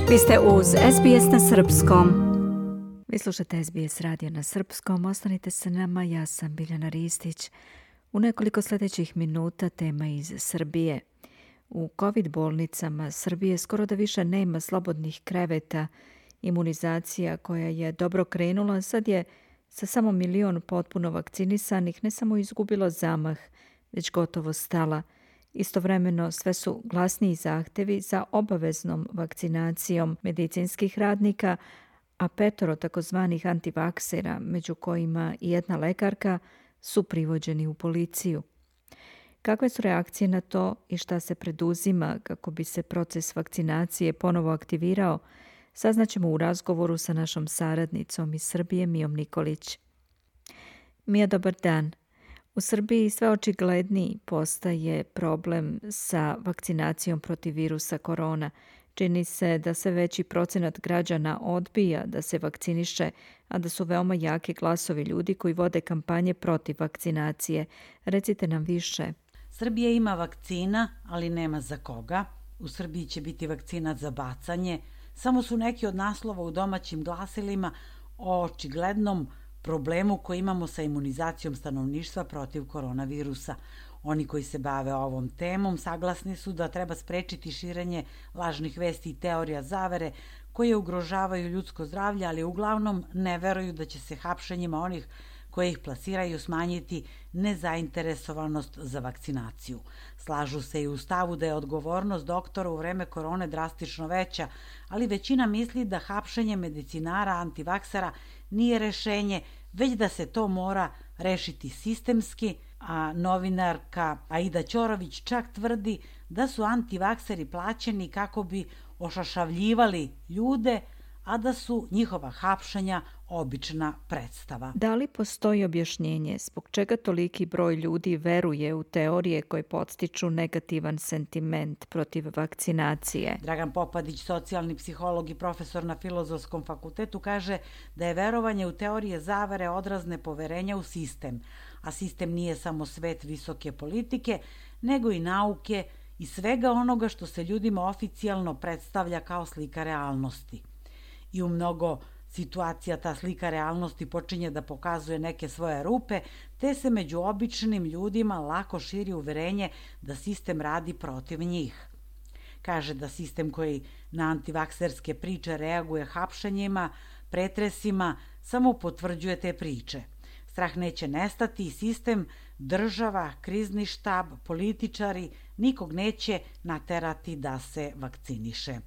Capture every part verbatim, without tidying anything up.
Vi ste uz S B S na srpskom. Vi slušate S B S radio na srpskom. Ostanite sa nama, ja sam Biljana Ristić. U nekoliko sljedećih minuta tema iz Srbije. U COVID bolnicama Srbije skoro da više nema slobodnih kreveta. Imunizacija koja je dobro krenula sad je sa samo milion potpuno vakcinisanih ne samo izgubilo zamah, već gotovo stala. Istovremeno sve su glasniji zahtevi za obaveznom vakcinacijom medicinskih radnika, a petoro takozvanih antivaksera, među kojima i jedna lekarka, su privođeni u policiju. Kakve su reakcije na to i šta se preduzima kako bi se proces vakcinacije ponovo aktivirao, saznaćemo u razgovoru sa našom saradnicom iz Srbije, Mijom Nikolić. Mija, dobar dan. U Srbiji sve očigledniji postaje problem sa vakcinacijom protiv virusa korona. Čini se da sve veći procenat građana odbija da se vakciniše, a da su veoma jaki glasovi ljudi koji vode kampanje protiv vakcinacije. Recite nam više. Srbija ima vakcina, ali nema za koga. U Srbiji će biti vakcina za bacanje. Samo su neki od naslova u domaćim glasilima o očiglednom problemu koji imamo sa imunizacijom stanovništva protiv koronavirusa. Oni koji se bave ovom temom saglasni su da treba sprečiti širenje lažnih vesti i teorija zavere koje ugrožavaju ljudsko zdravlje, ali uglavnom ne veruju da će se hapšenjima onih koje ih plasiraju smanjiti nezainteresovanost za vakcinaciju. Slažu se i u stavu da je odgovornost doktora u vreme korone drastično veća, ali većina misli da hapšenje medicinara antivaksera nije rešenje, već da se to mora rešiti sistemski, a novinarka Aida Ćorović čak tvrdi da su antivakseri plaćeni kako bi ošašavljivali ljude, a da su njihova hapšenja obična predstava. Da li postoji objašnjenje zbog čega toliki broj ljudi veruje u teorije koje podstiču negativan sentiment protiv vakcinacije? Dragan Popadić, socijalni psiholog i profesor na Filozofskom fakultetu, kaže da je verovanje u teorije zavere odraz nepoverenja u sistem, a sistem nije samo svet visoke politike, nego i nauke i svega onoga što se ljudima oficijalno predstavlja kao slika realnosti. I u mnogo situacija ta slika realnosti počinje da pokazuje neke svoje rupe, te se među običnim ljudima lako širi uverenje da sistem radi protiv njih. Kaže da sistem koji na antivakserske priče reaguje hapšenjima, pretresima, samo potvrđuje te priče. Strah neće nestati i sistem, država, krizni štab, političari nikog neće naterati da se vakciniše.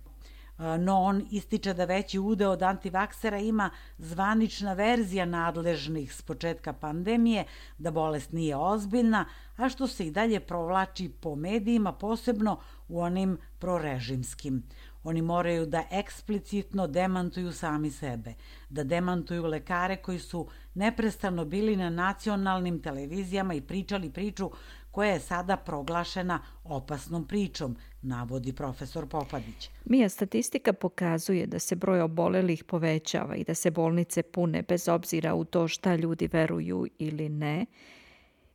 No on ističe da veći udeo od antivaksera ima zvanična verzija nadležnih s početka pandemije, da bolest nije ozbiljna, a što se i dalje provlači po medijima, posebno u onim prorežimskim. Oni moraju da eksplicitno demantuju sami sebe, da demantuju lekare koji su neprestano bili na nacionalnim televizijama i pričali priču koja je sada proglašena opasnom pričom, navodi profesor Popadić. Mija, statistika pokazuje da se broj obolelih povećava i da se bolnice pune bez obzira u to šta ljudi veruju ili ne.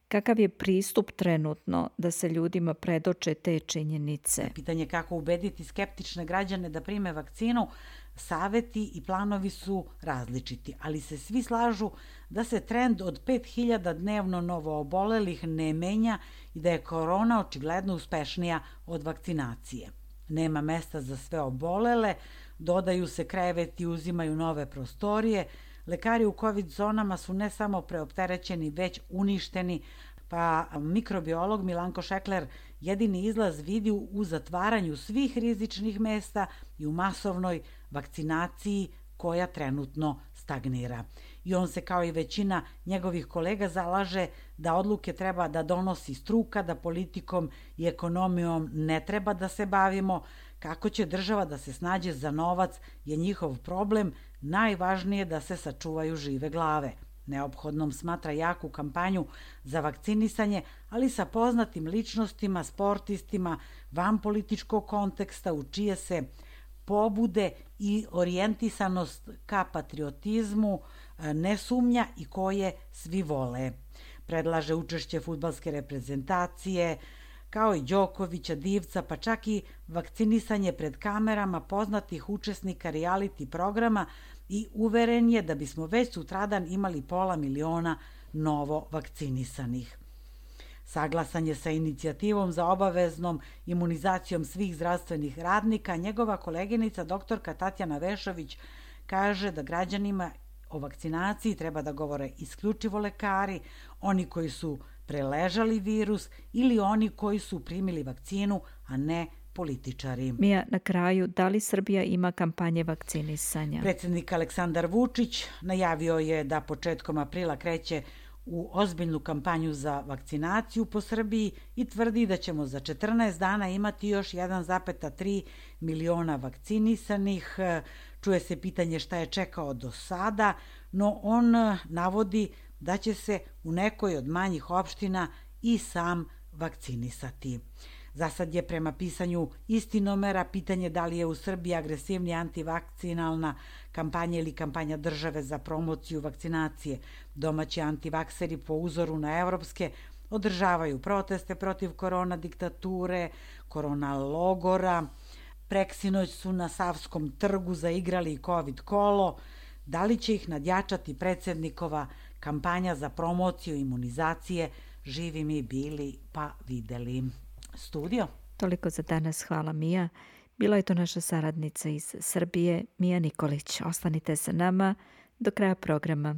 Kakav je pristup trenutno da se ljudima predoče te činjenice? Pitanje kako ubediti skeptične građane da prime vakcinu, saveti i planovi su različiti, ali se svi slažu da se trend od pet hiljada dnevno novoobolelih ne menja i da je korona očigledno uspešnija od vakcinacije. Nema mesta za sve obolele, dodaju se kreveti, uzimaju nove prostorije, lekari u COVID zonama su ne samo preopterećeni, već uništeni, pa mikrobiolog Milanko Šekler jedini izlaz vidi u zatvaranju svih rizičnih mesta i u masovnoj vakcinaciji koja trenutno stagnira. I on se kao i većina njegovih kolega zalaže da odluke treba da donosi struka, da politikom i ekonomijom ne treba da se bavimo, kako će država da se snađe za novac je njihov problem, najvažnije da se sačuvaju žive glave. Neophodnom smatra jaku kampanju za vakcinisanje, ali sa poznatim ličnostima, sportistima, van političkog konteksta u čije se pobude i orijentisanost ka patriotizmu ne sumnja i koje svi vole. Predlaže učešće fudbalske reprezentacije, kao i Đokovića, Divca, pa čak i vakcinisanje pred kamerama poznatih učesnika reality programa i uveren je da bismo već sutradan imali pola miliona novo vakcinisanih. Saglasan je sa inicijativom za obaveznom imunizacijom svih zdravstvenih radnika. Njegova koleginica doktorka Tatjana Vešović kaže da građanima o vakcinaciji treba da govore isključivo lekari, oni koji su preležali virus ili oni koji su primili vakcinu, a ne političari. Mija, na kraju, da li Srbija ima kampanje vakcinisanja? Predsjednik Aleksandar Vučić najavio je da početkom aprila kreće u ozbiljnu kampanju za vakcinaciju po Srbiji i tvrdi da ćemo za četrnaest dana imati još jedan zarez tri miliona vakcinisanih. Čuje se pitanje šta je čekao do sada, no on navodi da će se u nekoj od manjih opština i sam vakcinisati. Za sad je prema pisanju Istinomera pitanje da li je u Srbiji agresivnija antivakcinalna kampanja ili kampanja države za promociju vakcinacije. Domaći antivakseri po uzoru na evropske održavaju proteste protiv korona diktature, korona logora. Preksinoć su na Savskom trgu zaigrali i COVID kolo. Da li će ih nadjačati predsjednikova kampanja za promociju imunizacije? Živi mi bili pa videli. Studio. Toliko za danas, hvala Mija. Bila je to naša saradnica iz Srbije, Mija Nikolić. Ostanite sa nama do kraja programa.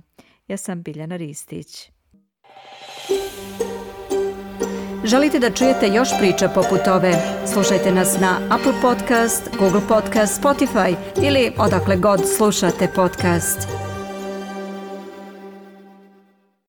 Ja sam Biljana Ristić. Želite da čujete još priča poput ove? Slušajte nas na Apple Podcast, Google Podcast, Spotify ili odakle god slušate podcast.